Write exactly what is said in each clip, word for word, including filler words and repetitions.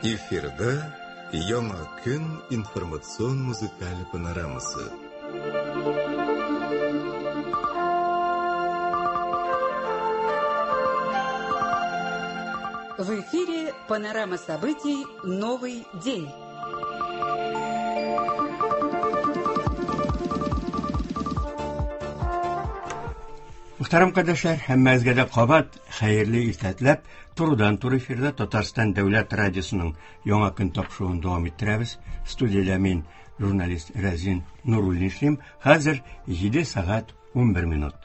Эфирда Яңа көн информацион музыкаль панорамасы. В эфире панорама событий «Новый день». Мөхтәрәм кардәшләр, һәммәгезгә дә кабат хәерле иртә теләп, турыдан-туры эфирда Татарстан Дәүләт радиосының Яңа көн тапшыруын дәвам иттерәбез. Студиядә мин, журналист Рәзин Нуруллин эшлим. Хәзер җиде сәгать унбер минут.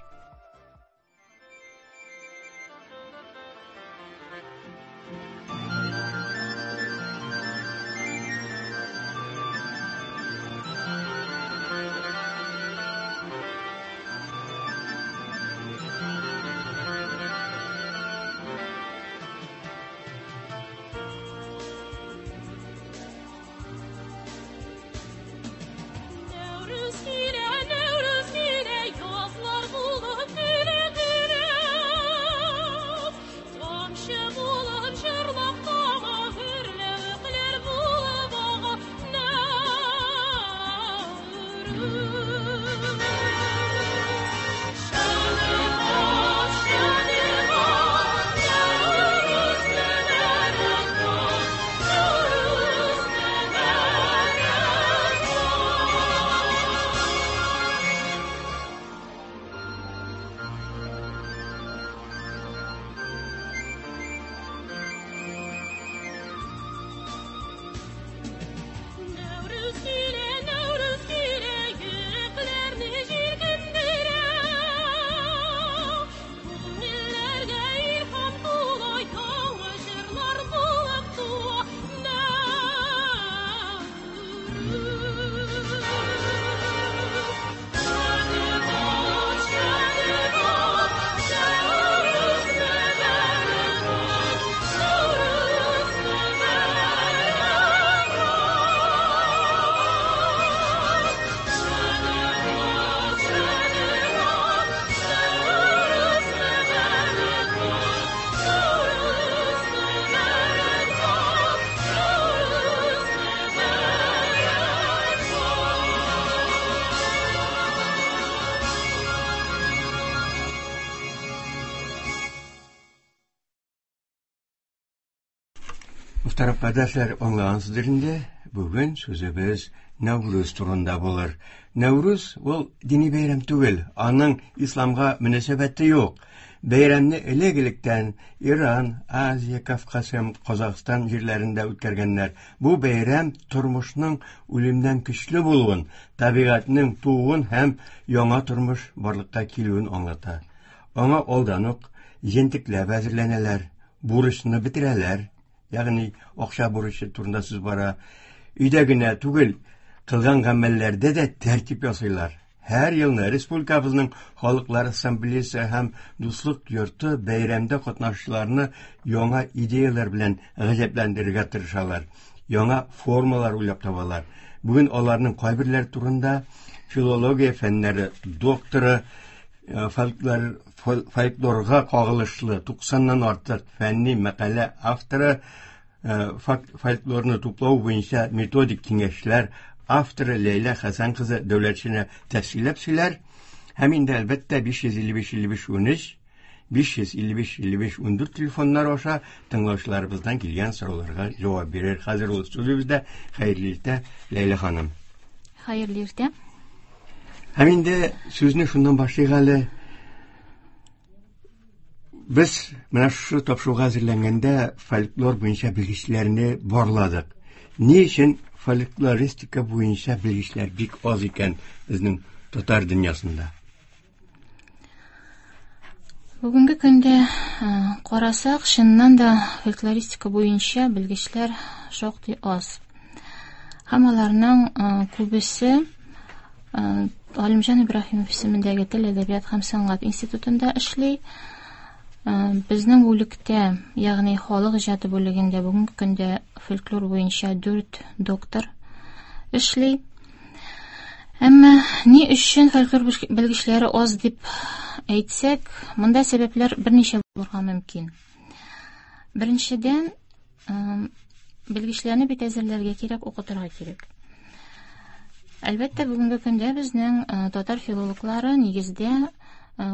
Мөхтәрәм кардәшләр, аңлагансыздыр инде, бүген сүзебез Нәүрүз турында булыр. Нәүрүз ул дини бәйрәм түгел, аның исламга мөнәсәбәте юк. Бәйрәмне элек-электән Иран, Азия, Кавказ һәм Казахстан җирләрендә үткәргәннәр. Бу бәйрәм тормышның үлемнән көчле булуын, табигатьнең тууын һәм яңа тормыш барлыкка килүен аңлата. Аңа алдан ук җентекләп әзерләнәләр, бурычны бетерәләр. Ягъни акча бурычы турында сүз бара. Өйдә генә түгел, кылган гамәлләрдә дә тәртип ясыйлар. Һәр елны республикабызның Халыклар Ассамблеясы һәм Дуслык йорты бәйрәмдә катнашучыларны яңа идеяләр белән гаҗәпләндерергә тырышалар, яңа формалар уйлап табалар. Бүген аларның кайберләре турында филология фәннәре докторы, фольклор, фольклорга кагылышлы туксаннан артык фәнни мәкалә авторы, фольклорны туплау буенча методик киңәшләр авторы Ләйлә Хәсән кызы Дәүләтшина тәфсилләп сөйләр. Һәм инде әлбәттә биш йөз илле биш илле биш унөч, биш йөз илле биш илле биш ундүрт телефоннар аша тыңлаучыларыбыздан килгән сорауларга җавап бирер. Хәзер ул студиябездә. Хәерле иртә, Ләйлә ханым. Хәерле иртә. Һәм инде сүзне шуннан башлыйк әле. Без менә шушы тапшыруга әзерләнгәндә фольклор буенча белгечләрне барладык. Ни өчен фольклористика буенча белгечләр бик аз икән безнең татар дөньясында? Бүгенге көндә, карасак, чыннан да фольклористика буенча белгечләр шактый аз. Һәм аларның күбесе Галимҗан Ибраһимов исемендәге Тел, әдәбият һәм сәнгать институтында эшли. Безнең бүлектә, ягъни халык иҗаты бүлегендә бүгенге көндә фольклор буенча дүрт доктор эшли. Әмма ни өчен фольклор белгечләре аз дип әйтсәк, монда сәбәпләр берничә булырга мөмкин. Беренчедән, белгечләрне бит әзерләргә кирәк, укытырга кирәк. Әлбәттә, бүгенге көндә безнең татар филологлары нигездә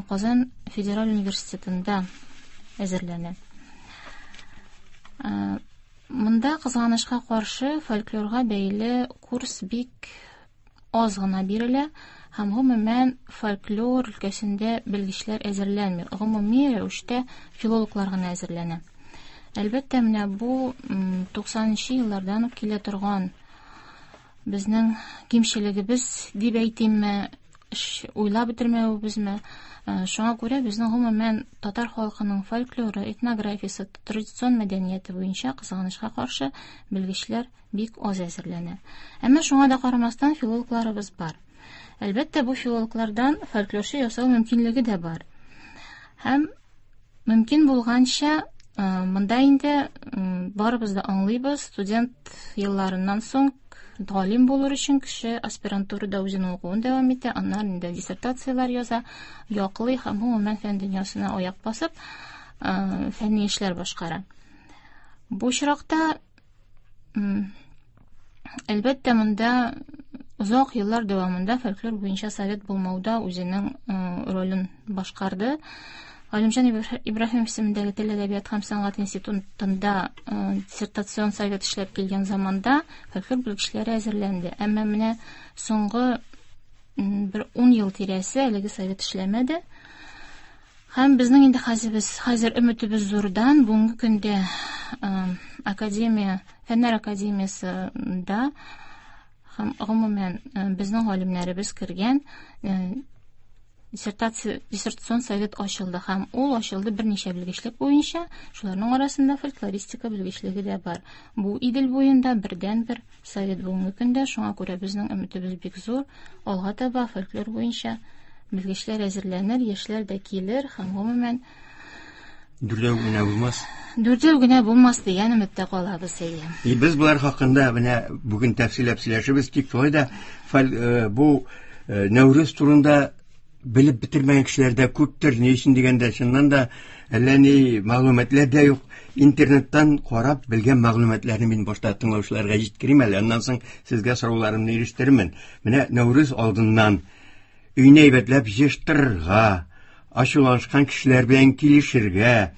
Казан федераль университетында әзерләнә. Монда кызганычка каршы фольклорга бәйле курс бик аз гына бирелә һәм гомумән фольклор өлкәсендә белгечләр әзерләнми. Гомуми рәвештә филологлар гына әзерләнә. Әлбәттә, менә бу туксанынчы еллардан ук килә торган безнең кимчелегебез дип әйтимме, уйлап бетермәвебезме? Шуңа күрә безнең гомумән татар халкының фольклоры, этнографиясе, традицион мәдәнияте буенча кызганычка каршы белгечләр бик аз әзерләнә. Әмма шуңа да карамастан филологларыбыз бар. Әлбәттә, бу филологлардан фольклорчы ясау мөмкинлеге дә бар. Һәм мөмкин булганча монда инде барыбыз да аңлыйбыз, студент елларыннан соң галим булыр өчен кеше аспирантурада үзенең укуын дәвам итә, аннан инде диссертацияләр яза, яклый һәм гомумән фән дөньясына аяк басып, фәнни эшләр башкара. Бу очракта, әлбәттә, монда озак еллар дәвамында фольклор буенча совет булмауда үзенең ролен башкарды. Галимҗан Ибраһимов исемендәге тел, әдәбият һәм сәнгать институтында диссертацион совет эшләп килгән заманда фольклор белгечләре әзерләнде. Әмма менә соңгы бер ун ел тирәсе әлеге совет эшләмәде. Һәм безнең инде хәзер, хәзер өметебез зурдан. Бүгенге көндә академия, Фәннәр академиясендә һәм гомумән безнең галимнәребез кергән диссертация, диссертацион совет ачылды һәм ул ачылды берничә белгечлек буенча, шуларның арасында фольклористика белгечлеге дә бар. Бу Идел буенда бердәнбер совет бүгенге көндә, шуңа күрә безнең өметебез бик зур. Алга таба фольклор буенча белгечләр әзерләнер, яшьләр дә килер һәм гомумән дүртәү генә булмас. Дүртәү генә булмас дигән өметтә калабыз, әйе. И без болар хакында менә бүген тәфсилләп сөйләшербез, тик шулай да бу Нәүрүз турында белеп бетермәгән кешеләр дә күптер. Ни өчен дигәндә, чыннан да әллә ни мәгълүматлар да юк. Интернеттан карап белгән мәгълүматларны мин башта тыңлаучыларга җиткерим әле, аннан соң сезгә сорауларымны ирештерермен. Менә Нәүрүз алдыннан өйне әйбәтләп җыештырырга, ачуланышкан кешеләр белән килешергә,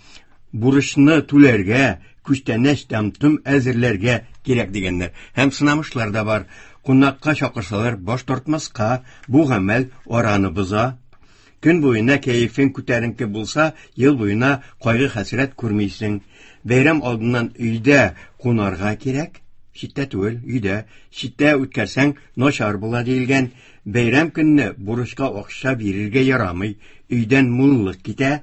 бурычны түләргә, күчтәнәч тәм-том әзерләргә кирәк дигәннәр. Һәм сынамышлар да бар. Кунакка чакырсалар, баш тартмаска, бу гамәл араны боза. Көн буена кәефең күтәренке булса, ел буена кайгы-хәсрәт күрмисең. Бәйрәм алдыннан өйдә кунарга кирәк, читтә түгел, өйдә. Читтә үткәрсәң, начар була диелгән. Бәйрәм көнне бурычка акча бирергә ярамый, өйдән муллык китә.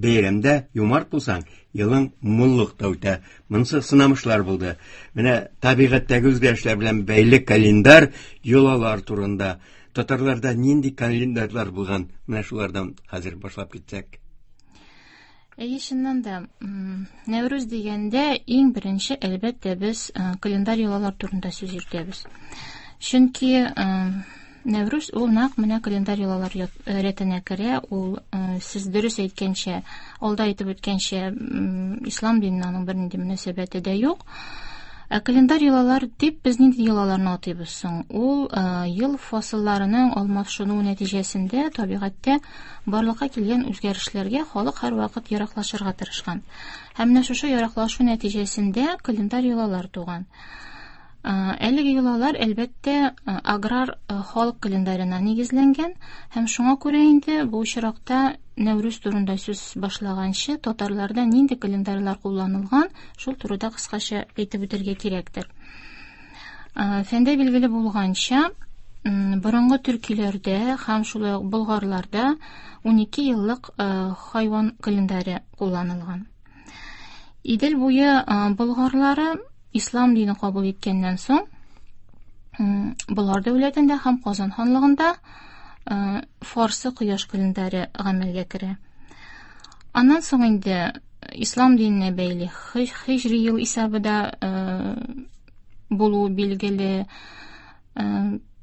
Бәйрәмдә юмарт булсаң, елың муллыкта үтә. Монысы сынамышлар булды. Менә табигатьтәге үзгәрешләр белән бәйле календарь йолалар турында. Татарларда нинди календарьлар булган? Менә шулардан хәзер башлап китсәк. Әйе, чыннан да, Нәүрүз дигәндә иң беренче, әлбәттә, без календарь йолалар турында сүз йөртәбез. Чөнки Нәүрүз ул нәкъ менә календарь йолалар рәтенә керә. Ул, сез дөрес әйткәнчә, алда әйтеп үткәнчә, ислам диненә аның бернинди мөнәсәбәте дә юк. Ә календарь йолалар дип без нинди йолаларны атыйбыз соң? Ул ел фасылларының алмашынуы нәтиҗәсендә табигатьтә барлыкка килгән үзгәрешләргә халык һәрвакыт яраклашырга тырышкан. Һәм менә шушы яраклашу нәтиҗәсендә календарь йолалар туган. Әлеге йолалар, әлбәттә, аграр халык календарена нигезләнгән һәм шуңа күрә инде бу очракта Нәүрүз турында сүз башлаганчы татарларда нинди календарьлар кулланылган, шул турыда кыскача әйтеп үтәргә кирәктер. Фәндә билгеле булганча, борынгы төркиләрдә һәм шулай ук болгарларда ун ике еллык хайван календаре кулланылган. Идел буе болгарлары ислам дине кабул иткәннән соң Болгар дәүләтендә һәм Казан ханлыгында фарсы кояш календаре гамәлгә керә. Аннан соң инде ислам диненә бәйле һиҗри ел исәбе дә булуы билгеле.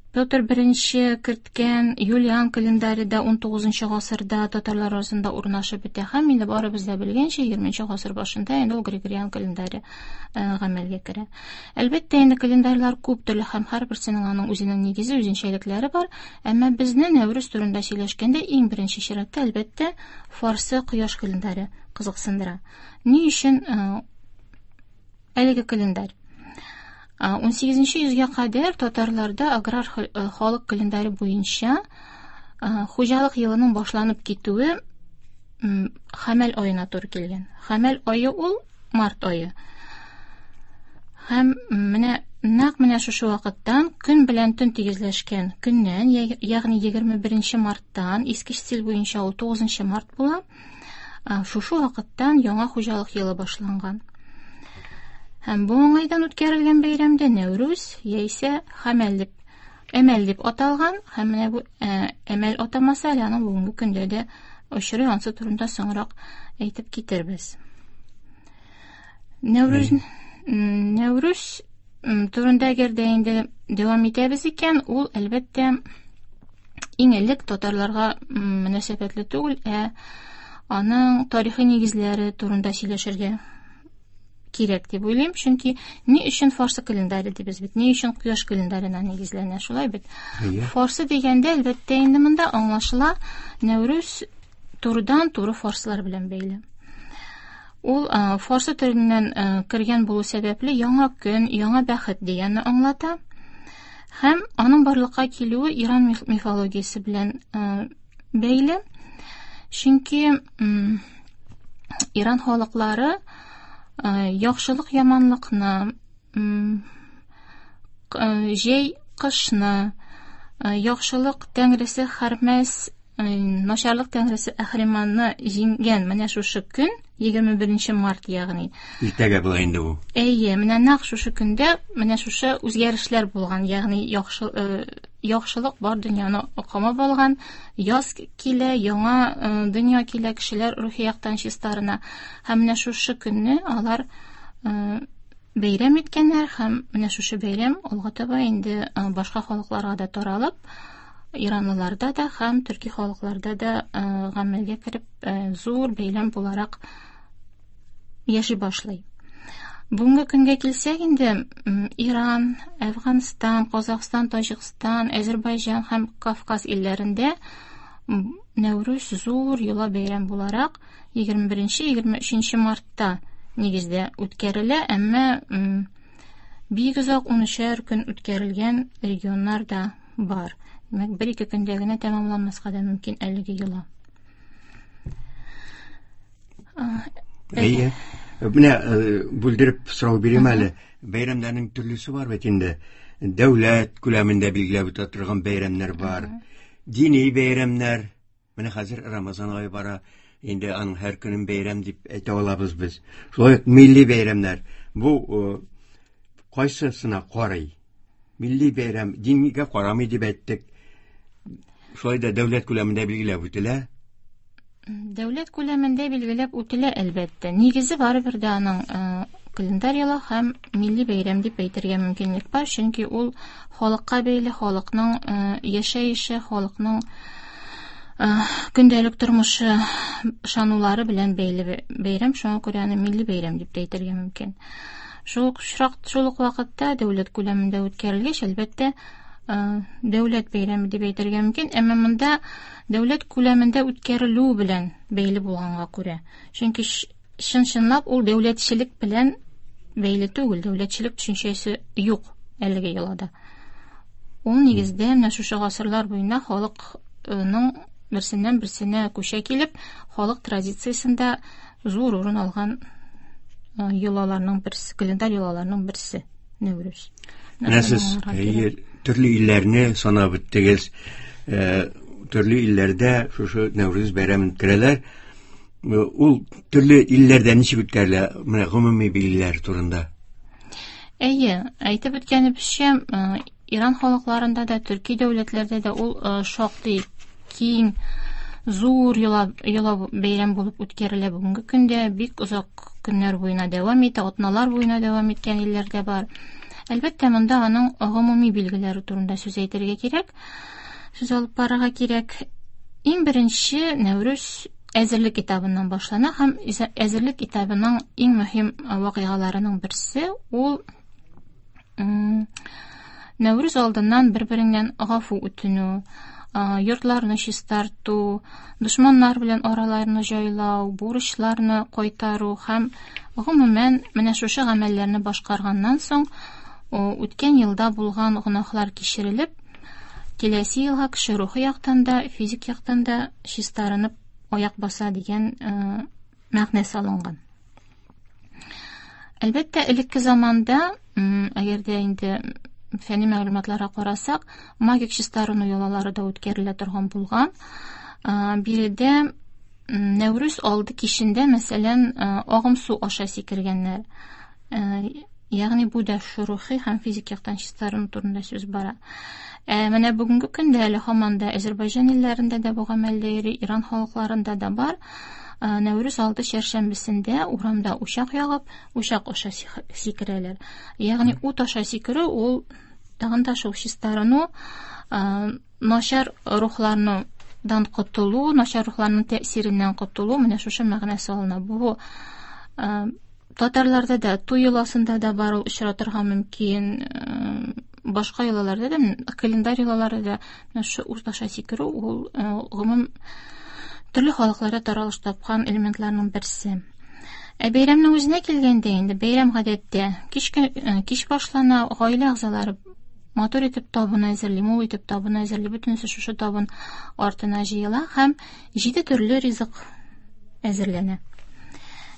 Петр Беренче керткән Юлиан календаре да ун тугызынчы гасырда татарлар арасында урнашып бетә һәм инде барыбыз да белгәнчә егерменче гасыр башында инде ул Григориан календаре гамәлгә керә. Әлбәттә, инде календарьлар күп төрле һәм һәрберсенең аның үзенең нигезе, үзенчәлекләре бар, әмма безне Нәүрүз турында сөйләшкәндә иң беренче чиратта әлбәттә фарсы кояш календаре кызыксындыра. Ни өчен әлеге календарь? ун сигезенче йөзгә кадәр татарларда аграр халык календаре буенча хуҗалык елының башланып китүе хәмәл аена туры килгән. Хәмәл ае ул март ае. Һәм менә нәкъ менә шушы вакыттан көн белән төн тигезләшкән көннән, ягъни егерме беренче марттан, иске стиль буенча ул тугызынчы март була, шушы вакыттан яңа хуҗалык елы башланган. Һәм бу уңайдан үткәрелгән бәйрәмдә Нәүрүз яисә Хәмәл дип, Әмәл дип аталган, һәм менә бу әмәл атамасы әле аның бүгенге көндә дә очрый, ансы турында соңрак әйтеп китербез. Нәүрүз, Нәүрүз турында әгәр дә инде дәвам итәбез икән, ул әлбәттә иң элек татарларга мөнәсәбәтле түгел, ә аның тарихи нигезләре турында сөйләшергә кирәк дип уйлыйм, чөнки ни өчен фарсы календаре дибез бит, ни өчен кояш календарына нигезләнә, шулай бит. Фарсы дигәндә әлбәттә инде монда аңлашыла Нәүрүз турыдан туры фарсылар белән бәйле. Ул фарсы теленнән кергән булу сәбәпле яңа көн, яңа бәхет дигәнне аңлата. Һәм аның барлыкка килүе Иран мифологиясе белән бәйле. Чөнки Иран халыклары яхшылык яманлыкны, җәй кышны, яхшылык тәңресе Хәрмәс, начарлык тәңресе Әхриманны җиңгән менә шушы көн, егерме беренче март, ягъни. Иртәгә була инде бу. Әйе, менә нәкъ шушы көндә менә шушы үзгәрешләр булган, ягъни яхшы, яхшылык бар дөньяны камап алган, яз килә, яңа дөнья килә, кешеләр рухи яктан чистарына. Һәм менә шушы көнне алар бәйрәм иткәннәр, һәм менә шушы бәйрәм алга таба инде башка халыкларга да таралып, иранлыларда да һәм төрки халыкларда да гамәлгә кереп, зур бәйрәм буларак яши башлый. Бүгенге көнгә килсәк инде, Иран, Әфганстан, Казахстан, Таҗикстан, Әзербайҗан һәм Кавказ илләрендә Нәүрүз зур йола бәйрәм буларак егерме беренче, егерме өченче мартта нигездә үткәрелә, әмма бик озак унөчәр көн үткәрелгән регионнар да бар. Димәк, бер-ике көндә генә тәмамланмаска да мөмкин әлеге йола. Әйе. Менә бүлдереп сорау бирим әле. Бәйрәмнәрнең төрлесе бар бит инде. Дәүләт күләмендә билгеләп үтә торган бәйрәмнәр бар. Дини бәйрәмнәр. Менә хәзер Рамазан ае бара. Инде аның һәр көнен бәйрәм дип әйтә алабыз без. Шулай ук милли бәйрәмнәр. Бу кайсысына карый? Милли бәйрәм дингә карамый дип әйттек. Шулай да дәүләт күләмендә билгеләп үтелә. Дәүләт күләмендә билгеләп үтелә әлбәттә. Нигезе барыбер дә аның календарь елы һәм милли бәйрәм дип әйтергә мөмкинлек бар, чөнки ул халыкка бәйле, халыкның яшәеше, халыкның көндәлек тормышы, ышанулары белән бәйле бәйрәм, шуңа күрә аны милли бәйрәм дип тә әйтергә мөмкин. Шул ук очрак, шул ук вакытта дәүләт күләмендә үткәрелгәч, әлбәттә, дәүләт бәйрәме дип әйтергә мөмкин, әмма монда дәүләт күләмендә үткәрелү белән бәйле булганга күрә. Чөнки чын-чынлап ул дәүләтчелек белән бәйле түгел, дәүләтчелек төшенчәсе юк әлеге йолада. Ул нигездә менә шушы гасырлар буена халыкның берсеннән берсенә күчә килеп, халык традициясендә зур урын алган йолаларның берсе, календарь йолаларның берсе Нәүрүз. Менә сез төрле илләрне санап үттегез. Төрле илләрдә шушы Нәүрүз бәйрәмен үткәрәләр. Ул төрле илләрдә ничек үткәрелә? Менә гомуми билгеләр турында. Әйе, әйтеп үткәнебезчә, Иран халыкларында да, төрки дәүләтләрдә дә ул шактый киң, зур йола, йола бәйрәм булып үткәрелә бүгенге көндә, бик озак көннәр буена дәвам итә, атналар буена дәвам иткән илләр дә бар. Әлбәттә, монда аның гомуми билгеләре турында сүз әйтергә кирәк, сүз алып барырга кирәк. Иң беренче Нәүрүз әзерлек этабыннан башлана һәм әзерлек этабының иң мөһим вакыйгаларының берсе ул Нәүрүз алдыннан бер-береңнән гафу үтенү, йортларны чистарту, дошманнар белән араларны җайлау, бурычларны кайтару һәм гомумән менә шушы гамәлләрне башкарганнан соң үткән елда булган гөнаһлар кичерелеп, киләсе елга кеше рухи яктан да, физик яктан да чистарынып аяк баса дигән мәгънә салынган. Әлбәттә, элекке заманда, әгәр дә инде фәнни мәгълүматларга карасак, магик чистарыну йолалары да үткәрелә торган булган. Биредә Нәүрүз алды кичендә, мәсәлән, агым су аша сикергәннәр. Ягъни бу да рухи һәм физик яктан чистарыну турында сүз бара. Ә менә бүгенге көндә әле һаман да Азәрбайҗан илләрендә дә бу гамәлдә йөри, Иран халыкларында да бар. Нәүрүз алды чәршәмбесендә урамда учак ягып, учак аша сикерәләр. Ягъни ут аша сикерү ул тагын да шул чистарыну, начар рухлардан котылу, начар рухларның тәэсиреннән котылу, менә шушы мәгънә салына. Бу татарларда да, туй йоласында да бар, ул очратырга мөмкин. Башка йолаларда да, календарь йолаларда да менә шушы ут аша сикерү ул гомум төрле халыкларда таралыш тапкан элементларның берсе. Ә бәйрәмнең үзенә килгәндә инде бәйрәм гадәттә кичке кич башлана, гаилә әгъзалары матур итеп табын әзерли, мул итеп табын әзерли, бөтенесе шушы табын артына җыела һәм җиде төрле ризык әзерләнә.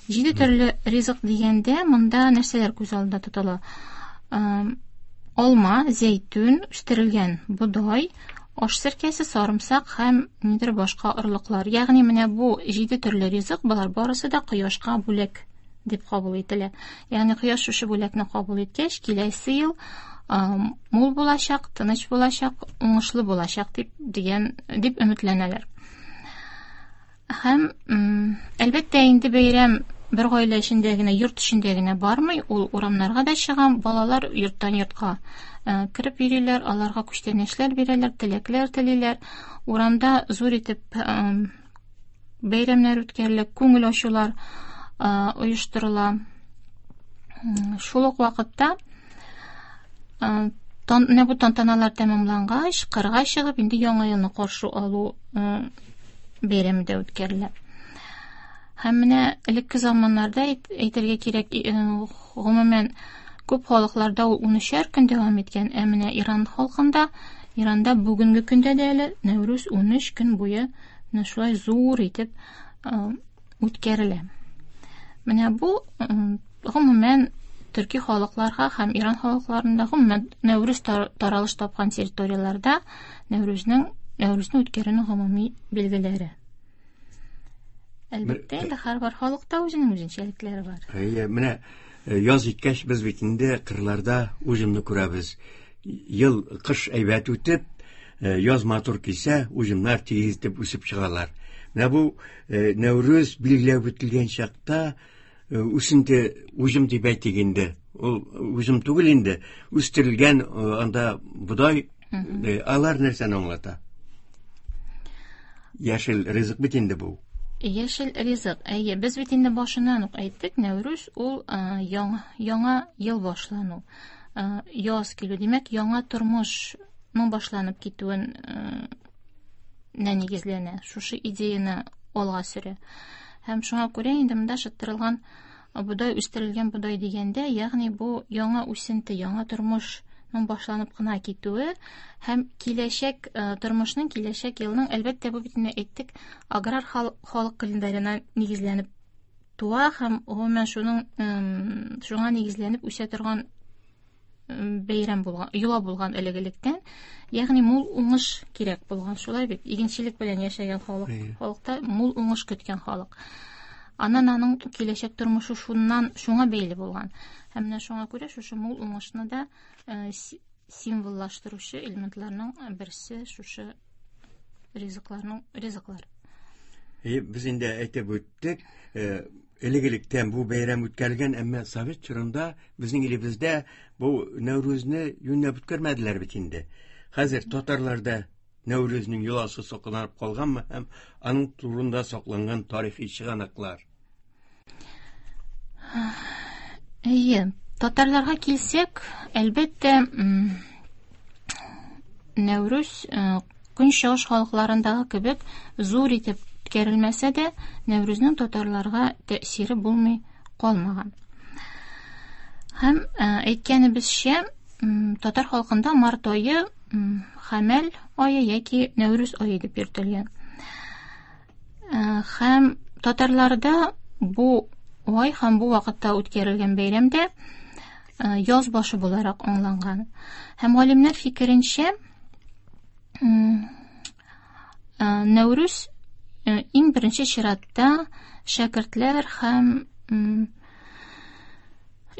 Җиде төрле ризык дигәндә монда нәрсәләр күз алдында тотыла? Алма, зәйтүн, үстерелгән бодай, аш серкәсе, сарымсак һәм нидер башка орлыклар. Ягъни менә бу җиде төрле ризык, болар барысы да кояшка бүләк дип кабул ителә. Ягъни кояш шушы бүләкне кабул иткәч, киләсе ел мул булачак, тыныч булачак, уңышлы булачак дип дигән дип өметләнәләр. Һәм әлбәттә инде бәйрәм бер гаилә эчендә генә, йорт эчендә генә бармый, ул урамнарга да чыга, балалар йорттан йортка кереп йөриләр, аларга күчтәнәчләр бирәләр, теләкләр телиләр. Урамда зур итеп бәйрәмнәр үткәрелә, күңел ачулар оештырыла. Шул ук вакытта менә бу тантаналар тәмамлангач, кырга чыгып, инде яңа елны каршы алу бәйрәме дә үткәрелә. Һәм менә элекке заманнарда әйтергә кирәк, гомумән күп халыкларда ул унөчәр көн дәвам иткән, ә менә Иран халкында, Иранда бүгенге көндә дә әле Нәүрүз унөч көн буе менә шулай зур итеп үткәрелә. Менә бу гомумән төрки халыкларга һәм Иран халыкларында гомумән Нәүрүз таралыш тапкан территорияләрдә Нәүрүзнең Нәүрүзне үткәрүнең гомуми билгеләре. Әлбәттә, инде һәрбер халыкта үзенең үзенчәлекләре бар. Әйе, менә яз җиткәч без бит инде кырларда уҗымны күрәбез. Ел кыш әйбәт үтеп, яз матур килсә, уҗымнар тигез итеп үсеп чыгалар. Менә бу Нәүрүз билгеләп үтелгән чакта үсенте уҗым дип әйтик инде. Ул уҗым түгел инде, үстерелгән анда бодай, алар нәрсәне аңлата? Яшел ризык бит инде бу. Яшел ризык. Әйе, без бит инде башыннан ук әйттек, Нәүрүз ул яңа, яңа ел башлану, яз килү, димәк, яңа тормышның башланып китүен нигезләнә, шушы идеяны алга сөрә. Һәм шуңа күрә инде монда шыттырылган бодай, үстерелгән бодай дигәндә, ягъни бу яңа үсенте, яңа тормышның башланып кына китүе һәм киләчәк тормышның, киләчәк елның, әлбәттә, бу бит инде әйттек, аграр халык календарена нигезләнеп туа һәм гомумән шуның шуңа нигезләнеп үсә торган бәйрәм булган, йола булган элек-электән, ягъни мул уңыш кирәк булган, шулай бит, игенчелек белән яшәгән халык, халыкта мул уңыш көткән халык. Аннан аның киләчәк тормышы шуннан шуңа бәйле булган. Һәм менә шуңа күрә шушы мул уңышны да символлаштыручы элементларның берсе шушы ризыкларның ризыклар. Без инде әйтеп үттек, Элек-электән бу бәйрәм үткәрелгән, әмма совет чорында безнең илебездә бу Нәүрүзне юньләп үткәрмәделәр бит инде. Хәзер татарларда Нәүрүзнең йоласы сакланып калганмы һәм аның турында сакланган тарихи чыганаклар? Әйе, татарларга килсәк, әлбәттә, Нәүрүз көнчыгыш халыкларындагы кебек зур итеп үткәрелмәсә дә, Нәүрүзнең татарларга тәэсире булмый калмаган. Һәм әйткәнебезчә, татар халкында март ае Хәмәл ае яки Нәүрүз ае дип йөртелгән. Һәм татарларда бу ай һәм бу вакытта үткәрелгән бәйрәмдә яз башы буларак аңланган. Һәм галимнәр фикеренчә, Нәүрүз иң беренче чиратта шәкертләр һәм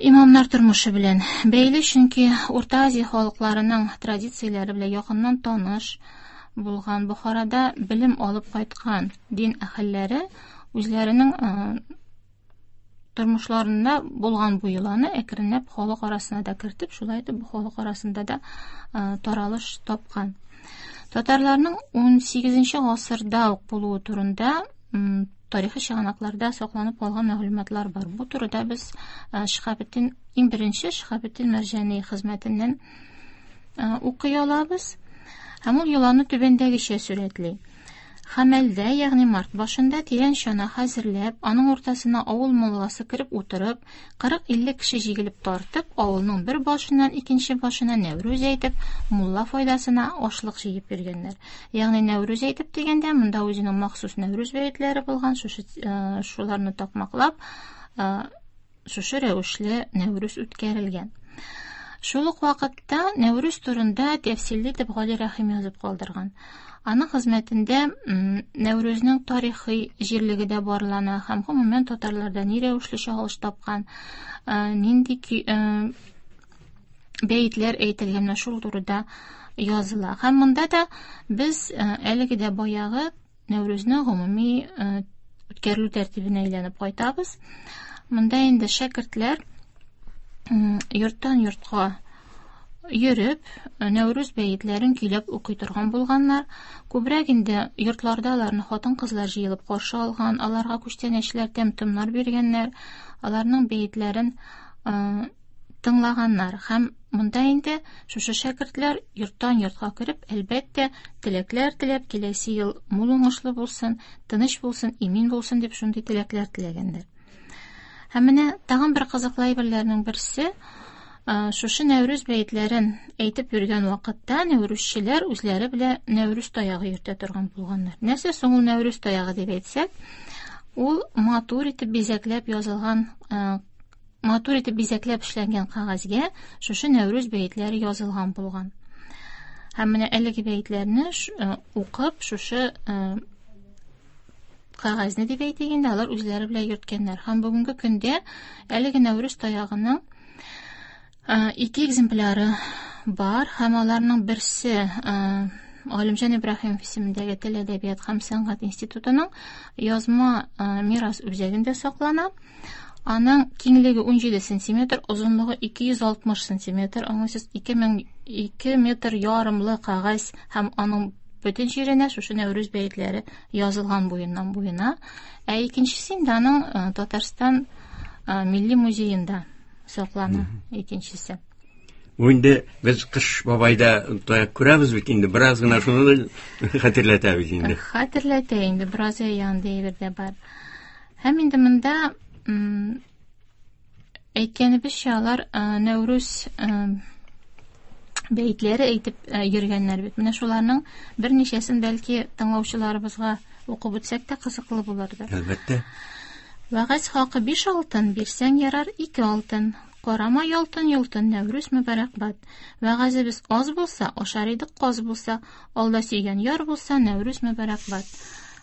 имамнар тормышы белән бәйле, чөнки Урта Азия халыкларының традицияләре белән якыннан таныш булган Бохарада белем алып кайткан дин әһелләре үзләренең тормышларында булган бу йоланы әкренләп халык арасына да кертеп, шулай итеп бу халык арасында да таралыш тапкан. Татарларның ун сигезенче гасырда ук булуы турында тарихи чыганакларда сакланып калган мәгълүматлар бар. Бу турыда без Шиһабетдин, иң беренче Шиһабетдин Мәрҗани хезмәтеннән укый алабыз. Һәм ул йоланы түбәндәгечә сурәтли. Хәмәлдә, ягъни март башында тирән чана хәзерләп, аның уртасына авыл мулласы кереп утырып, кырык-илле кеше җигелеп тартып, авылның бер башыннан икенче башына Нәүрүз әйтеп, мулла файдасына ашлык җыеп йөргәннәр. Ягъни Нәүрүз әйтеп дигәндә, монда үзенең махсус Нәүрүз бәетләре булган, шушы, шуларны такмаклап, шушы рәвешле Нәүрүз үткәрелгән. Шул ук вакытта Нәүрүз турында тәфсилле итеп Гали Рәхим язып калдырган. Аның хезмәтендә Нәүрүзнең тарихи җирлеге дә барлана һәм гомумән татарларда ни рәвешле чагылыш тапкан, нинди бәетләр әйтелгән, менә шул турыда языла. Һәм монда да без әлеге дә баягы Нәүрүзнең гомуми үткәрелү тәртибенә әйләнеп кайтабыз. Монда инде шәкертләр йорттан йортка йөреп, Нәүрүз бәетләрен көйләп укый торган булганнар. Күбрәк инде йортларда аларны хатын-кызлар җыелып каршы алган, аларга күчтәнәчләр, тәм-томнар биргәннәр, аларның бәетләрен тыңлаганнар. Һәм монда инде шушы шәкертләр йорттан йортка кереп, әлбәттә, теләкләр теләп, киләсе ел мул уңышлы булсын, тыныч булсын, имин булсын дип шундый теләкләр теләгәннәр. Һәм менә тагын бер кызыклы әйберләрнең берсе, шушы Нәүрүз бәетләрен әйтеп йөргән вакытта нәүрүзчеләр үзләре белән Нәүрүз таягы йөртә торган булганнар. Нәрсә соң ул Нәүрүз таягы дип әйтсәк, ул матур итеп бизәкләп язылган, матур итеп бизәкләп эшләнгән кәгазьгә шушы Нәүрүз бәетләре язылган булган. Һәм менә әлеге бәетләрне укып, шушы кәгазьне дип әйтик инде, алар үзләре белән йөрткәннәр. Һәм бүгенге көндә әлеге Нәүрүз таягының ике экземпляры бар, һәм аларның берсе Галимҗан Ибраһимов исемендәге Тел, әдәбият һәм сәнгать институтының язма мирас үзәгендә саклана. Аның киңлеге ун җиде сантиметр, озынлыгы ике йөз алтмыш сантиметр, аңлыйсыз, ике мең ике метр ярымлы кәгазь, һәм аның бөтен җиренә шушы Нәүрүз бәетләре язылган буеннан буена. Ә икенчесе инде аның Татарстан Милли музеенда саклана, икенчесе. Бу инде без Кыш бабайда таяк күрәбез бит инде, бераз гына шуны да хәтерләтә бит инде. Хәтерләтә инде, бераз янда әйбер дә бар. Һәм инде монда әйткәнебезчә, алар Нәүрүз бәетләре әйтеп йөргәннәр бит. Менә шуларның берничәсен бәлки тыңлаучыларыбызга укып үтсәк тә кызыклы булырдыр. Әлбәттә. Вәгазь хакы биш алтын, бирсәң ярар ике алтын. Карама ялтын йолтын, Нәүрүз мөбарәкбад. Вәгазебез аз булса, ашар идек каз булса, алда сөйгән яр булса, Нәүрүз мөбарәкбад.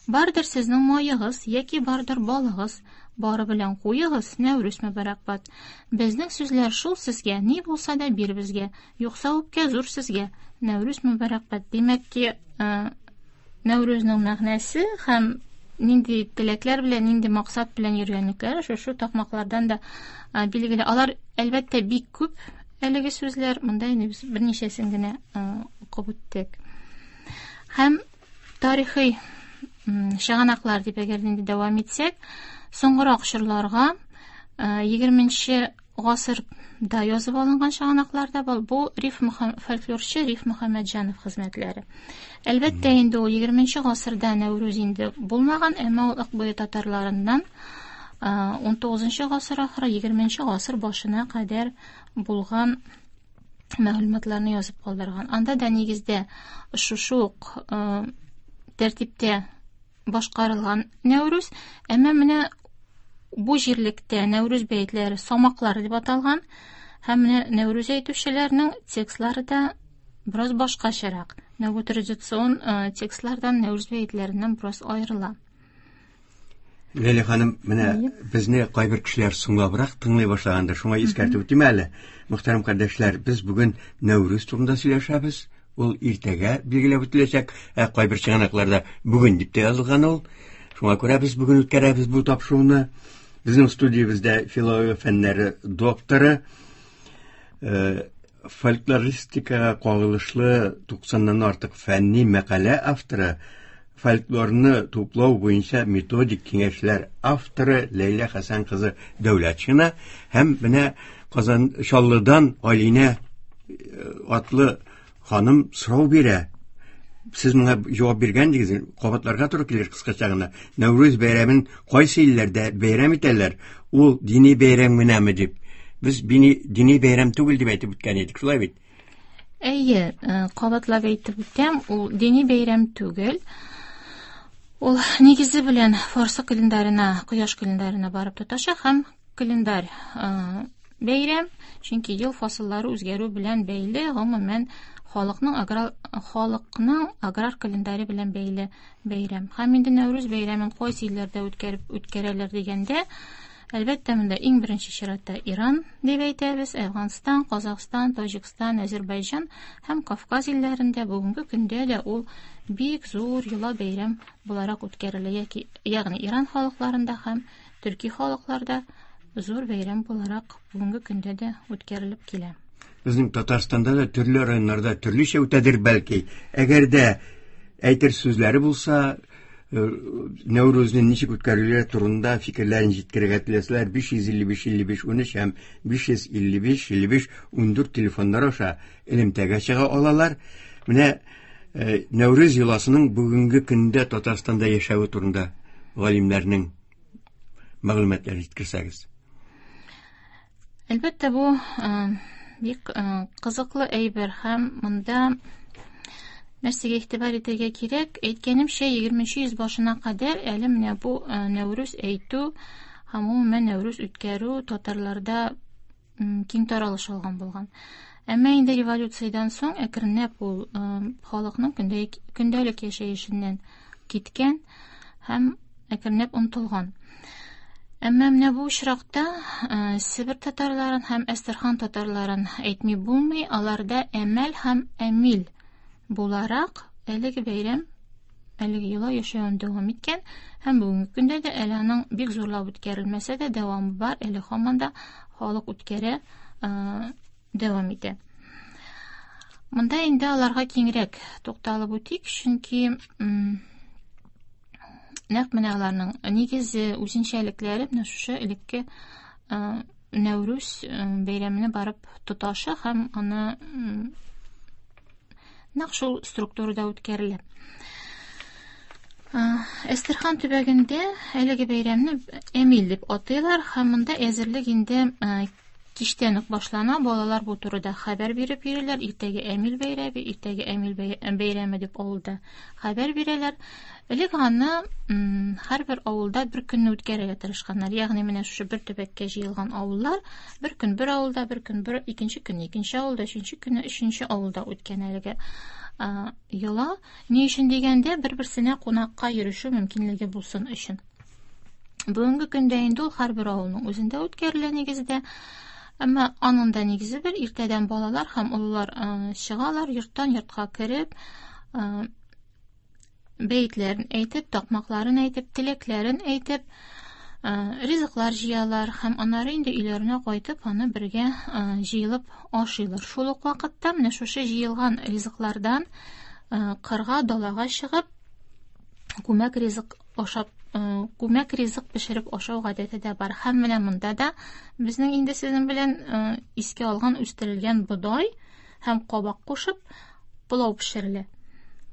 Бардыр сезнең маегыз, яки бардыр балыгыз, бары белән куегыз, Нәүрүз мөбарәкбад. Безнең сүзләр шул сезгә, ни булса да бир безгә, юкса үпкә зур сезгә, Нәүрүз мөбарәкбад. Димәк ки, Нәүрүзнең мәгънәсе һәм нинди теләкләр белән, нинди максат белән йөргәнлекләре шушы такмаклардан да билгеле. Алар әлбәттә бик күп әлеге сүзләр, монда инде без берничәсен генә укып үттек. Һәм тарихи чыганаклар дип әгәр инде дәвам итсәк, соңгырак чорларга егерменче гасырда язып алынган чыганаклар да бар. Бу Риф фольклорчы Риф Мөхәммәтҗанов хезмәтләре. Әлбәттә инде ул егерменче гасырда Нәүрүз инде булмаган, әмма ул Акбуе татарларыннан ун тугызынчы гасыр ахыры егерменче гасыр башына кадәр булган мәгълүматларны язып калдырган. Анда да нигездә шушы ук тәртиптә башкарылган Нәүрүз, әмма менә бу җирлектә Нәүрүз бәетләре самаклар дип аталган һәм менә Нәүрүз әйтүчеләрнең текстлары да бераз башкачарак. Менә бу традицион текстлардан Нәүрүз бәетләреннән бераз аерыла. Ләйлә ханым, менә безне кайбер кешеләр соңлабрак тыңлый башлагандыр, шуңа искәртеп үтим әле. Мөхтәрәм кардәшләр, без бүген Нәүрүз турында сөйләшәбез. Ул иртәгә билгеләп үтеләчәк, ә кайбер чыганакларда бүген дип тә язылган ул. Шуңа күрә без бүген үткәрәбез бу тапшыруны. Безнең студиябездә филология фәннәре докторы, фольклористикага кагылышлы туксаннан артык фәнни мәкалә авторы, фольклорны туплау буенча методик киңәшләр авторы Ләйлә Хәсән кызы Дәүләтшина һәм менә Казан Чаллыдан Алинә атлы ханым сорау бирә. Сез моңа җавап биргән дигез, кабатларга туры килер кыскача гына. Нәүрүз бәйрәмен кайсы илләрдә бәйрәм итәләр? Ул дини бәйрәм генәме дип. Без дини бәйрәм түгел дип әйтеп үткән идек, шулай бит? Әйе, кабатлап әйтеп үтәм, ул дини бәйрәм түгел. Ул нигезе белән фарсы календарына, кояш календарына барып тоташа һәм календарь бәйрәм, чөнки ел фасыллары үзгәрү белән бәйле, гомумән халыкның аграр, халыкның аграр календаре белән бәйле бәйрәм. Һәм инде Нәүрүз бәйрәмен кайсы илләрдә үткәреп үткәрәләр дигәндә, әлбәттә, монда иң беренче чиратта Иран дип әйтәбез, Әфганстан, Казахстан, Таҗикстан, Азербайҗан һәм Кавказ илләрендә бүгенге көндә дә ул бик зур йола бәйрәм буларак үткәрелә, яки, ягъни Иран халыкларында һәм төрки халыкларда зур бәйрәм буларак бүгенге көндә дә үткәрелеп килә. Безнең Татарстанда да төрле районнарда төрлечә үтәдер бәлки. Әгәр дә әйтер сүзләре булса, Нәүрүзне ничек үткәрүләре турында фикерләрен җиткерергә теләсәләр, биш йөз илле биш илле биш унөч һәм биш йөз илле биш илле биш ундүрт телефоннар аша элемтәгә чыга алалар. Менә Нәүрүз йоласының бүгенге көндә Татарстанда яшәве турында галимнәрнең мәгълүматларын җиткерсәгез. Әлбәттә, бу бик кызыклы әйбер һәм монда нәрсәгә игътибар итәргә кирәк? Әйткәнемчә, егерменче йөз башына кадәр әле менә бу Нәүрүз әйтү һәм гомумән Нәүрүз үткәрү татарларда киң таралыш алган булган. Әмма инде революциядән соң әкренләп ул халыкның көндәлек яшәешеннән киткән һәм әкренләп онытылган. Әмма менә бу очракта Себер татарларын һәм Әстерхан татарларын әйтми булмый, аларда әмәл һәм әмил буларак әлеге бәйрәм, әлеге йола яшәвен дәвам иткән һәм бүгенге көндә дә әле аның бик зурлап үткәрелмәсә дә дәвамы бар, әле һаман да халык үткәрә, дәвам итә. Монда инде аларга киңрәк тукталып үтик, чөнки нәкъ менә аларның нигезе, үзенчәлекләре менә шушы элекке Нәүрүз бәйрәменә барып тоташа һәм аны нәкъ шул структурада үткәрелә. Әстерхан төбәгендә әлеге бәйрәмне Әмил дип атыйлар һәм монда әзерлек инде кичтән үк башлана. Балалар бу турыда хәбәр биреп йөриләр. Иртәгә Әмил бәйрәме, иртәгә Әмил бәйрәме дип авылда хәбәр бирәләр. Элек аны һәрбер авылда бер көнне үткәрергә тырышканнар. Ягъни менә шушы бер төбәккә җыелган авыллар бер көн бер авылда, бер көн бер, икенче көнне икенче авылда, өченче көнне өченче авылда үткән әлеге йола. Ни өчен дигәндә, бер-берсенә кунакка йөрешү мөмкинлеге булсын өчен. Бүгенге көндә инде ул һәрбер авылның үзендә үткәрелә нигездә. Әмма аның да нигезе бер, иртәдән балалар һәм олылар чыгалар, йорттан йортка кереп, бәетләрен әйтеп, такмакларын әйтеп, теләкләрен әйтеп, ризыклар җыялар һәм аннары инде өйләренә кайтып, аны бергә җыелып ашыйлар. Шул ук вакытта менә шушы җыелган ризыклардан кырга, далага чыгып, күмәк ризык ашап, күмәк ризык пешереп ашау гадәте дә бар. Һәм менә монда да безнең инде сезнең белән искә алган үстерелгән бодай һәм кабак кушып пылау пешерелә.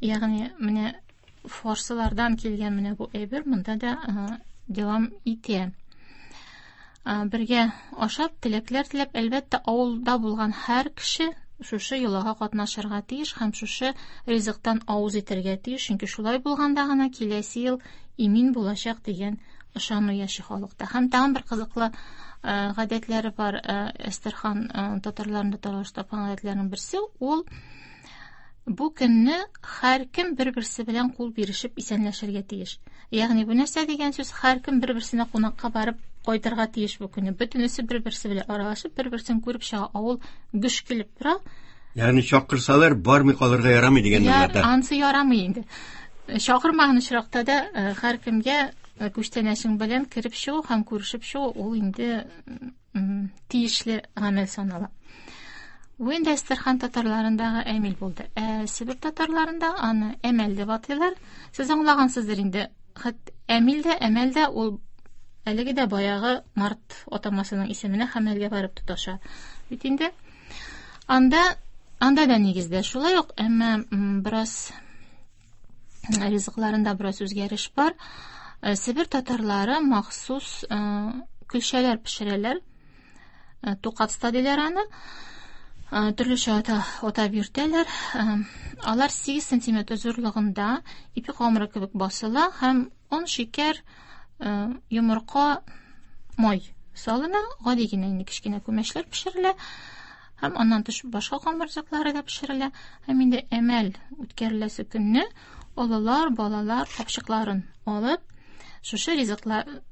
Ягъни менә фарсылардан килгән менә бу әйбер монда да дәвам итә. Бергә ашап, теләкләр теләп, әлбәттә, авылда булган һәр кеше шушы йолага катнашырга тиеш һәм шушы ризыктан авыз итәргә тиеш, чөнки шулай булганда гына киләсе ел имин булачак дигән ышану яши халыкта. Һәм тагын бер кызыклы гадәтләре бар Әстерхан татарларында таралыш тапкан гадәтләрнең берсе ул бу көнне һәркем бер-берсе белән кул бирешеп исәнләшергә тиеш. Ягъни бу нәрсә дигән сүз? Һәркем бер-берсенә кунакка барып кайтырга тиеш бу көнне. Бөтенесе бер-берсе белән аралашып, бер-берсен күреп чыга. Авыл гөж килеп тора. Ягъни чакырсалар бармый калырга ярамый дигән мәгънәдә. Ансы ярамый инде. Чакырмаган очракта да һәркемгә күчтәнәчең белән кереп чыгу һәм күрешеп чыгу ул инде тиешле гамәл санала. Бу инде Әстерхан татарларындагы әмил булды. Ә Себер татарларында аны әмәл дип атыйлар. Сез аңлагансыздыр инде. Хәт әмил дә, әмәл дә ул әлеге дә баягы март атамасының исеменә хәмәлгә барып тоташа. Бит инде анда анда да нигездә шулай ук, әмма бераз ризыкларында бераз үзгәреш бар. Себер татарлары махсус көлчәләр пешерәләр. Тукатста диләр аны. Төрлечә атап йөртәләр. Алар сигез сантиметр зурлыгында ипи камыры кебек басыла һәм он, шикәр, йомырка, май салына. Гади генә инде кечкенә күмәчләр пешерелә. Һәм аннан тыш башка камыр ризыклары да пешерелә. Һәм инде әмәл үткәреләсе көнне олылар, балалар капчыкларын алып, шушы ризыклар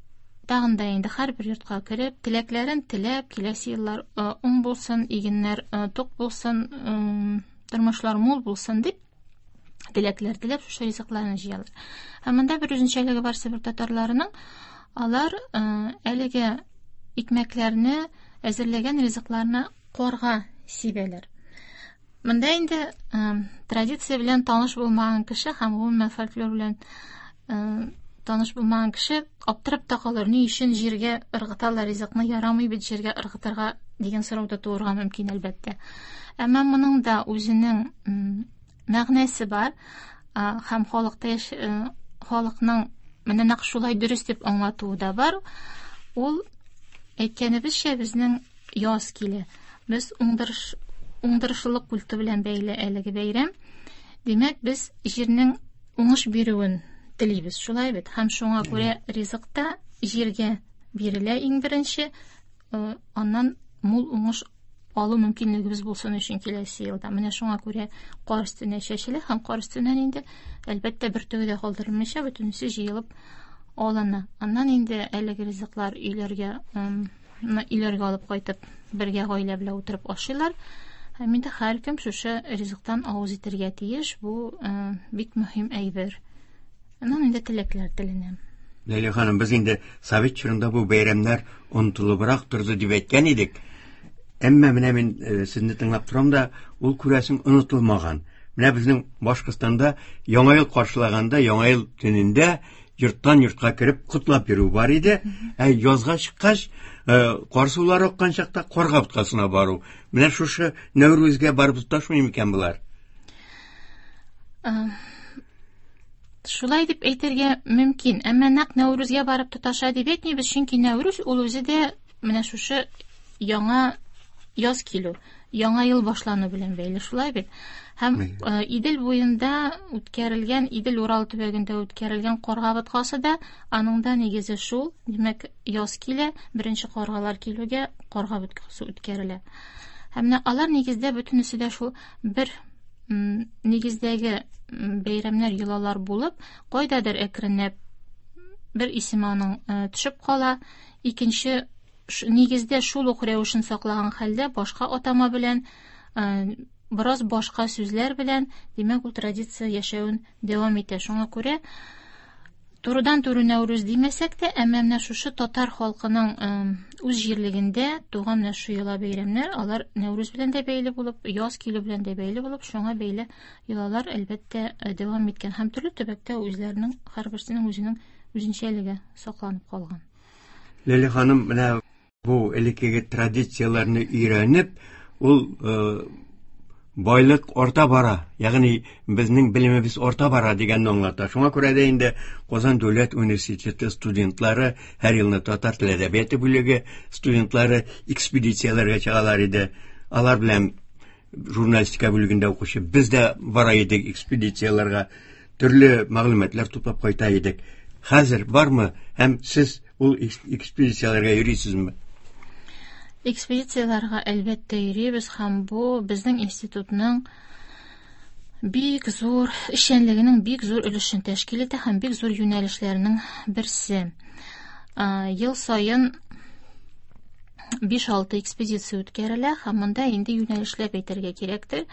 тагын да инде һәрбер йортка кереп, теләкләрен теләп, киләсе еллар уң булсын, игеннәр тук булсын, тормышлар мул булсын дип теләкләр теләп шушы ризыкларны җыялар. Һәм монда бер үзенчәлеге бар Себер татарларының. Алар әлеге икмәкләрне, әзерләгән ризыкларны карга сибәләр. Монда инде традиция белән таныш булмаган кеше һәм гомумән фольклор белән таныш булмаган кеше аптырап та калыр. Ни өчен җиргә ыргыталар ризыкны, ярамый бит җиргә ыргытырга дигән сорау да туырга мөмкин әлбәттә. Әмма моның да үзенең мәгънәсе бар һәм халыкта халыкның менә нәкъ шулай дөрес дип аңлатуы да бар. Ул әйткәнебезчә безнең яз килә. Без уңдырыш уңдырышлылык культы белән бәйле әлеге бәйрәм. Димәк, без җирнең уңыш бирүен телибез, шулай бит. Һәм шуңа күрә ризык та җиргә бирелә иң беренче, аннан мул уңыш алу мөмкинлегебез булсын өчен киләсе елда. Менә шуңа күрә кар өстенә чәчелә һәм кар өстеннән инде әлбәттә бөртеге дә калдырылмыйча бөтенесе җыелып алына. Аннан инде әлеге ризыклар өйләргә, өйләргә алып кайтып бергә гаилә белән утырып ашыйлар. Һәм инде һәркем шушы ризыктан авыз итәргә тиеш. Бу бик мөһим әйбер. Аннан инде теләкләр теленә. Ләйлә ханым, без инде совет чорында бу бәйрәмнәр онытылыбрак торды дип әйткән идек. Әмма менә мин сезне тыңлап торам да, ул күрәсең онытылмаган. Менә безнең Башкортстанда Яңа ел каршылаганда, Яңа ел төнендә йорттан йортка кереп котлап йөрү бар иде. Ә язга чыккач, кар сулары аккан чакта карга боткасына бару. Менә шушы Нәүрүзгә барып тоташмый микән болар? Шулай дип әйтергә мөмкин. Әмма нәкъ Нәүрүзгә барып тоташа дип әйтмибез, чөнки Нәүрүз ул үзе дә менә шушы яңа яз килү, яңа ел башлану белән бәйле, шулай бит. Һәм Идел буенда үткәрелгән, Идел-Урал төбәгендә үткәрелгән карга боткасы да аның да нигезе шул. Димәк, яз килә, беренче каргалар килүгә карга боткасы үткәрелә. Һәм менә алар нигездә бөтенесе дә шул бер нигездәге бәйрәмнәр, йолалар булып, кайдадыр әкренләп бер исеме аның төшеп кала, икенче нигездә шул ук рәвешен саклаган хәлдә башка атама белән бераз башка сүзләр белән, димәк, ул традиция яшәвен дәвам итә. Шуңа күрә турыдан-туры Нәүрүз димәсәк тә, әмма менә шушы татар халкының үз җирлегендә туган менә шу йола бәйрәмнәр, алар Нәүрүз белән дә бәйле булып, яз килү белән дә бәйле булып, шуңа бәйле йолалар әлбәттә дәвам иткән һәм төрле төбәктә үзләренең һәрберсенең үзенең үзенчәлеге сакланып калган. Ләлә ханым, менә бу элеккеге традицияләрне өйрәнеп, ул байлык арта бара, ягъни безнең белемебез арта бара дигәнне аңлата. Шуңа күрә дә инде Казан дәүләт университеты студентлары һәр елны татар теле әдәбияты бүлеге студентлары экспедицияләргә чыгалар иде. Алар белән журналистика бүлегендә укучы без дә бара идек экспедицияләргә, төрле мәгълүматлар туплап кайта идек. Хәзер бармы һәм сез ул экспедицияләргә йөрисезме? Экспедицияләргә әлбәттә йөрибез һәм бу безнең институтның бик зур эшчәнлегенең бик зур өлешен тәшкил итә һәм бик зур юнәлешләренең берсе. Ел саен биш-алты экспедиция үткәрелә һәм монда инде юнәлешләп әйтергә кирәктер.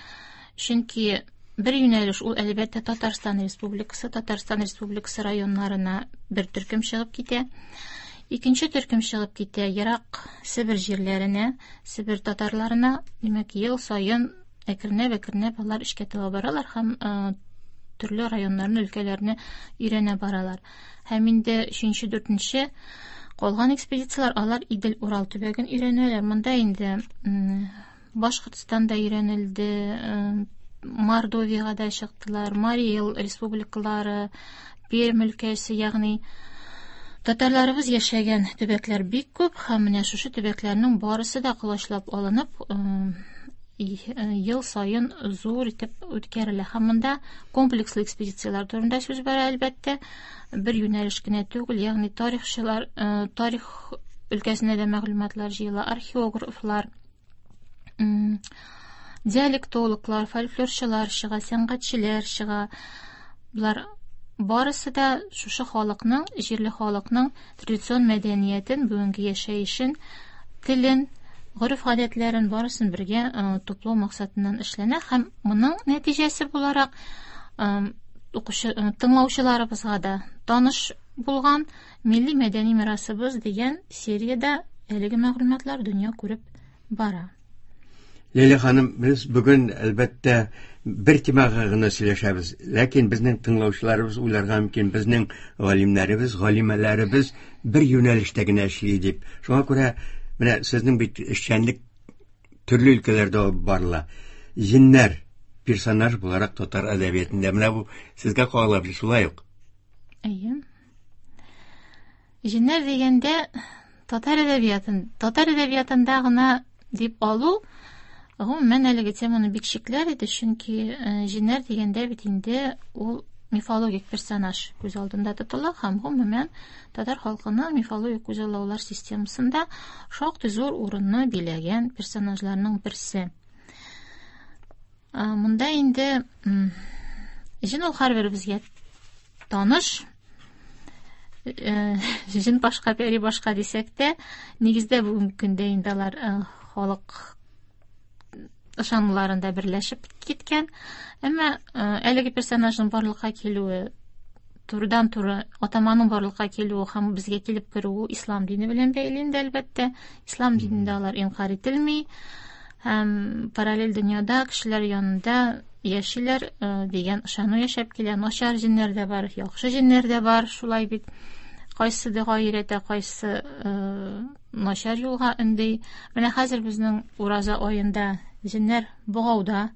Чөнки бер юнәлеш ул әлбәттә Татарстан Республикасы, Татарстан Республикасы районнарына бер төркем чыгып китә. Икенче төркем чыгып китә ерак Себер җирләренә, Себер татарларына. Димәк, ел саен әкренләп-әкренләп алар эшкә таба баралар һәм төрле районнарны, өлкәләрне өйрәнә баралар. Һәм инде өченче, дүртенче калган экспедицияләр алар Идел-Урал төбәген өйрәнәләр. Монда инде Башкортстанда өйрәнелде, Мордовиягә дә чыктылар, Марий Эл республикалары, Пермь өлкәсе, ягъни татарларыбыз яшәгән төбәкләр бик күп һәм менә шушы төбәкләрнең барысы да колачлап алынып, ел саен зур итеп үткәрелә. Һәм монда комплекслы экспедицияләр турында сүз бара, әлбәттә, бер юнәлеш кенә түгел, ягъни тарихчылар, тарих өлкәсендә дә мәгълүматлар җыела, археографлар, диалектологлар, фольклорчылар чыга, сәнгатьчеләр чыга. Булар барысы да шушы халыкның, җирле халыкның традицион мәдәниятен, бүгенге яшәешен, телен, гореф-гадәтләрен барысын бергә туплау максатыннан эшләнә һәм моның нәтиҗәсе буларак укучы, тыңлаучыларыбызга да таныш булган милли мәдәни мирасыбыз дигән сериядә әлеге мәгълүматлар дөнья күреп бара. Ләйлә ханым, без бүген әлбәттә бер темага гына сөйләшәбез. Ләкин безнең тыңлаучыларыбыз уйларга мөмкин, безнең галимнәребез, галимәләребез бер юнәлештә генә эшли дип. Шуңа күрә менә сезнең бит эшчәнлек төрле өлкәләрдә алып барыла. Җиннәр персонаж буларак татар әдәбиятында. Менә бу сезгә кагыла бит, шулай ук. Әйе. Җиннәр дигәндә татар әдәбиятын, татар әдәбиятында гына дип алу гомумән әлеге теманы бик чикләр иде, чөнки җиннәр дигәндә бит инде ул мифологик персонаж күз алдында тотыла һәм гомумән татар халкының мифологик күзаллаулар системасында шактый зур урынны биләгән персонажларның берсе. Монда инде җен ул һәрберебезгә таныш. Җен башка, пәри башка дисәк тә, нигездә бүгенге көндә инде алар халык ышануларында берләшеп киткән. Әмма әлеге персонажның барлыкка килүе, турыдан-туры атаманың барлыкка килүе һәм безгә килеп керүе ислам дине белән бәйле инде, әлбәттә. Ислам динендә алар инкар ителми һәм параллель дөньяда кешеләр янында яшиләр дигән ышану яшәп килә. Начар җиннәр дә бар, яхшы җиннәр дә бар, шулай бит. Кайсы дога өйрәтә, кайсы начар юлга өнди. Менә хәзер безнең ураза аенда җиннәр богауда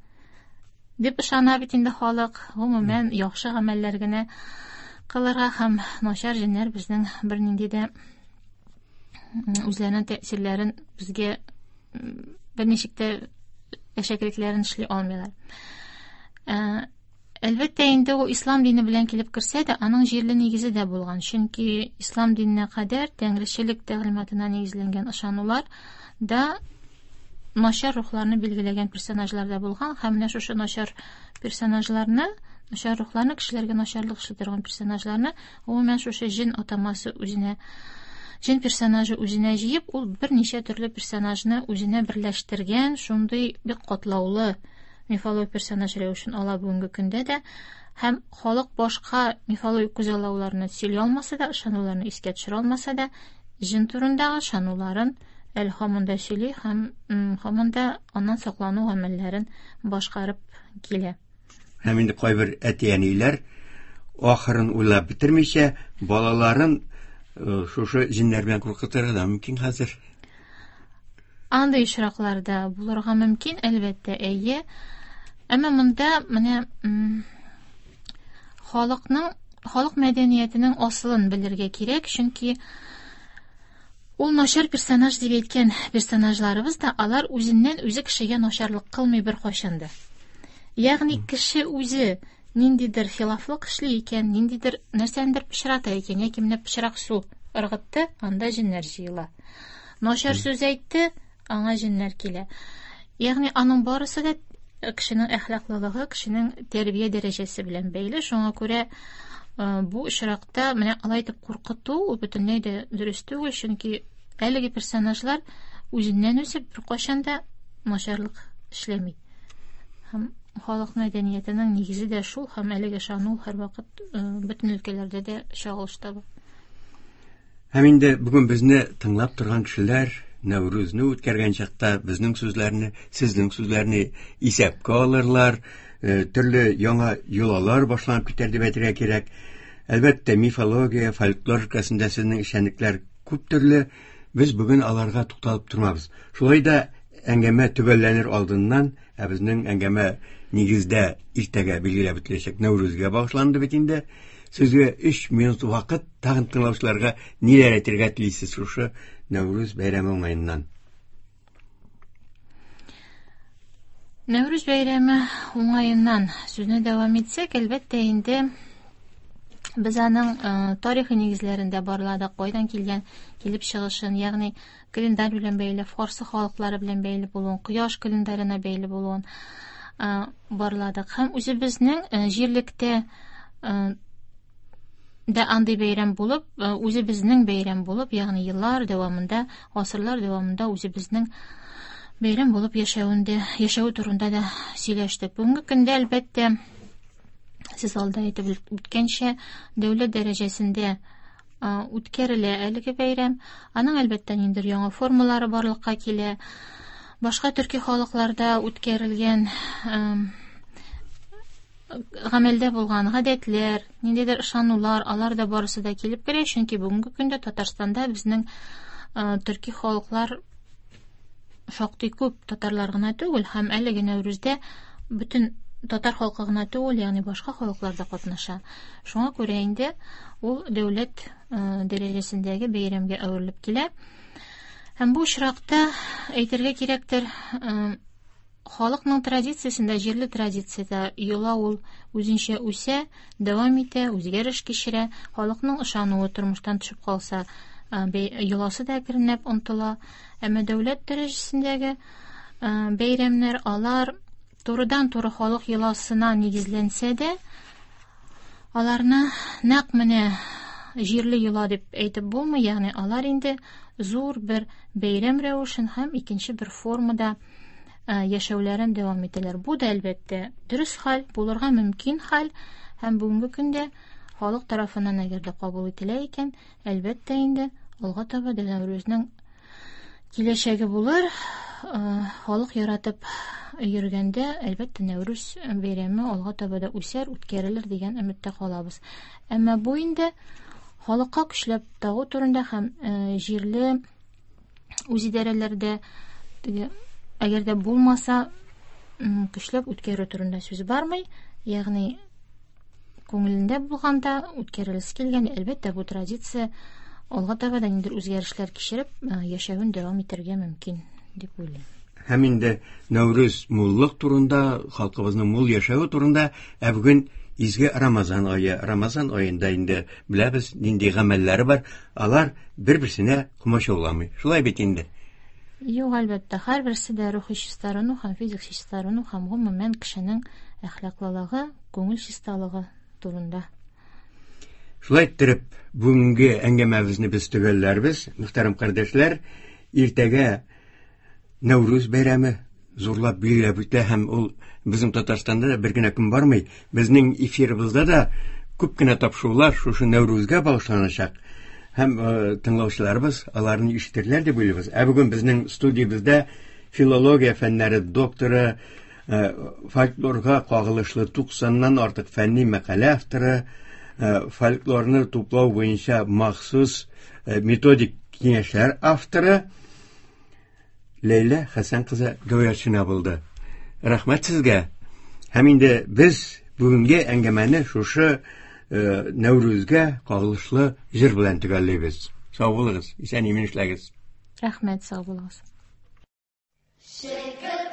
дип ышана бит инде халык. Гомумән, яхшы гамәлләр генә кылырга һәм начар җиннәр безнең бернинди дә үзләренең тәэсирләрен безгә берничек тә әшәкелекләрен эшли алмыйлар. Әлбәттә, инде ул ислам дине белән килеп керсә дә, аның җирле нигезе дә булган. Чөнки ислам диненә кадәр тәңречелек тәгълиматына нигезләнгән ышанулар да начар рухларны билгеләгән персонажлар да булган һәм менә шушы начар персонажларны, начар рухларны, кешеләргә начарлык эшли торган персонажларны, гомумән шушы җен атамасы үзенә, җен персонажы үзенә җыеп, ул берничә төрле персонажны үзенә берләштергән шундый бик катлаулы мифологик персонаж рәвешен ала бүгенге көндә дә. Һәм халык башка мифологик күзаллауларны сөйли алмаса да, ышануларны искә төшерә алмаса да, җен турындагы ышануларын әле һаман да сөйли һәм һаман да аннан саклану гамәлләрен башкарып килә. Һәм инде кайбер әти-әниләр ахырын уйлап бетермичә балаларын шушы җеннәр белән куркытырга да мөмкин хәзер. Андый очракларда булырга мөмкин, әлбәттә, әйе. Әмма монда менә халыкның, халык мәдәниятенең асылын белергә кирәк, чөнки ул начар персонаж дип әйткән персонажларыбыз да алар үзеннән үзе кешегә начарлык кылмый бер кайчан да. Ягъни кеше үзе ниндидер хилафлык эшли икән, ниндидер нәрсәндер пычрата икән, яки менә пычрак су ыргытты, анда җеннәр җыела. Начар сүз әйтте, аңа җеннәр килә. Ягъни аның барысы да кешенең әхлаклылыгы, кешенең тәрбия дәрәҗәсе белән бәйле. Шуңа күрә бу очракта менә алай итеп куркыту ул бөтенләй дә дөрес түгел, чөнки әлеге персонажлар үзеннән үзе беркайчан да начарлык эшләми. Һәм халык мәдәниятенең нигезе дә шул, һәм әлеге ышану һәрвакыт бөтен өлкәләрдә дә чагылыш таба. Һәм инде бүген безне тыңлап торган кешеләр Нәүрүзне үткәргән чакта безнең сүзләрне, сезнең сүзләрне исәпкә алырлар, төрле яңа йолалар башланып китәр дип әйтергә кирәк. Әлбәттә, мифология, фольклор өлкәсендә сезнең эшчәнлекләр күп төрле. Без бүген аларга тукталып тормабыз. Шулай да әңгәмә төгәлләнер алдыннан, ә безнең әңгәмә нигездә иртәгә билгеләп үтеләчәк Нәүрүзгә багышланды бит инде. Сезгә өч минут вакыт, тагын тыңлаучыларга ниләр әйтергә телисез шушы Нәүрүз бәйрәме уңаеннан? Нәүрүз бәйрәме уңаеннан сүзне дәвам итсәк, әлбәттә инде без аның тарихи нигезләрендә барладык, кайдан килгән, килеп чыгышын, ягъни календарь белән бәйле, фарсы халыклары белән бәйле булуын, кояш календарена бәйле булуын барладык. Һәм үзебезнең җирлектә дә андый бәйрәм булып, үзебезнең бәйрәм булып, ягъни еллар дәвамында, гасырлар дәвамында үзебезнең бәйрәм булып яшәвендә, яшәү турында да сөйләштек. Бүгенге көндә, әлбәттә, сез алда әйтеп үткәнчә, дәүләт дәрәҗәсендә үткәрелә әлеге бәйрәм. Аның, әлбәттә, ниндидер яңа формалары барлыкка килә. Башка төрки халыкларда үткәрелгән гамәлдә булган гадәтләр, ниндидер ышанулар, алар да барысы да килеп керә, чөнки бүгенге көндә Татарстанда безнең төрки халыклар шактый күп, татарлар гына түгел, һәм әлеге Нәүрүздә бөтен татар халкы гына түгел, ягъни башка халыклар да катнаша. Шуңа күрә инде ул дәүләт дәрәҗәсендәге бәйрәмгә әверелеп килә. Һәм бу очракта әйтергә кирәктер, халыкның традициясендә, җирле традициядә йола ул үзенчә үсә, дәвам итә, үзгәреш кичерә. Халыкның ышануы тормыштан төшеп калса, йоласы да әкренләп онытыла. Әмма дәүләт дәрәҗәсендәге бәйрәмнәр, алар турыдан-туры халык йоласына нигезләнсә дә, аларны нәкъ менә җирле йола дип әйтеп булмый, ягъни алар инде зур бер бәйрәм рәвешен һәм икенче бер формада яшәүләрен дәвам итәләр. Бу да, әлбәттә, дөрес хәл, булырга мөмкин хәл, һәм бүгенге көндә халык тарафыннан әгәр дә кабул ителә икән, әлбәттә инде алга таба да Нәүрүзнең киләчәге булыр. Халык яратып йөргәндә, әлбәттә, Нәүрүз бәйрәме алга таба да үсәр, үткәрелер дигән өметтә калабыз. Әмма бу инде халыкка көчләп тагу турында һәм җирле үзидарәләрдә теге әгәр дә булмаса, көчләп үткәрү турында сүз бармый, ягъни күңелендә булганда үткәрелесе килгән, әлбәттә, бу традиция алга таба да ниндидер үзгәрешләр кичереп, яшәвен дәвам итәргә мөмкин дип уйлыйм. Һәм инде Нәүрүз муллык турында, халкыбызның мул яшәве турында, ә бүген изге Рамазан ае. Рамазан аенда инде беләбез нинди гамәлләре бар, алар бер-берсенә комачауламый. Шулай бит инде. Юк, әлбәттә, һәрберсе дә рухи чистарыну һәм физик чистарыну һәм гомумән кешенең әхлаклылыгы, күңел чисталыгы турында. Шулай иттереп, бүгенге әңгәмәбезне без төгәлләрбез. Мөхтәрәм кардәшләр, иртәгә Нәүрүз бәйрәме, зурлап билгеләп үтә һәм ул безнең Татарстанда да бер генә көн бармый. Безнең эфирыбызда да күп кенә тапшырулар шушы Нәүрүзгә багышланачак. Һәм тыңлаучыларыбыз аларны ишетерләр дип уйлыйбыз. Ә бүген безнең студиябездә филология фәннәре докторы, фольклорга кагылышлы туксаннан артык фәнни мәкалә авторы, фольклорны туплау буенча махсус методик киңәшләр авторы Ләйлә Хәсән кызы Гәүһәршина булды. Рәхмәт сезгә. Һәм инде без бүгенге әңгәмәне шушы Нәүрүзгә кагылышлы җыр белән төгәллибез. Сау булыгыз, исән-имин эшләгез. Рәхмәт, сау булыгыз. Шәкер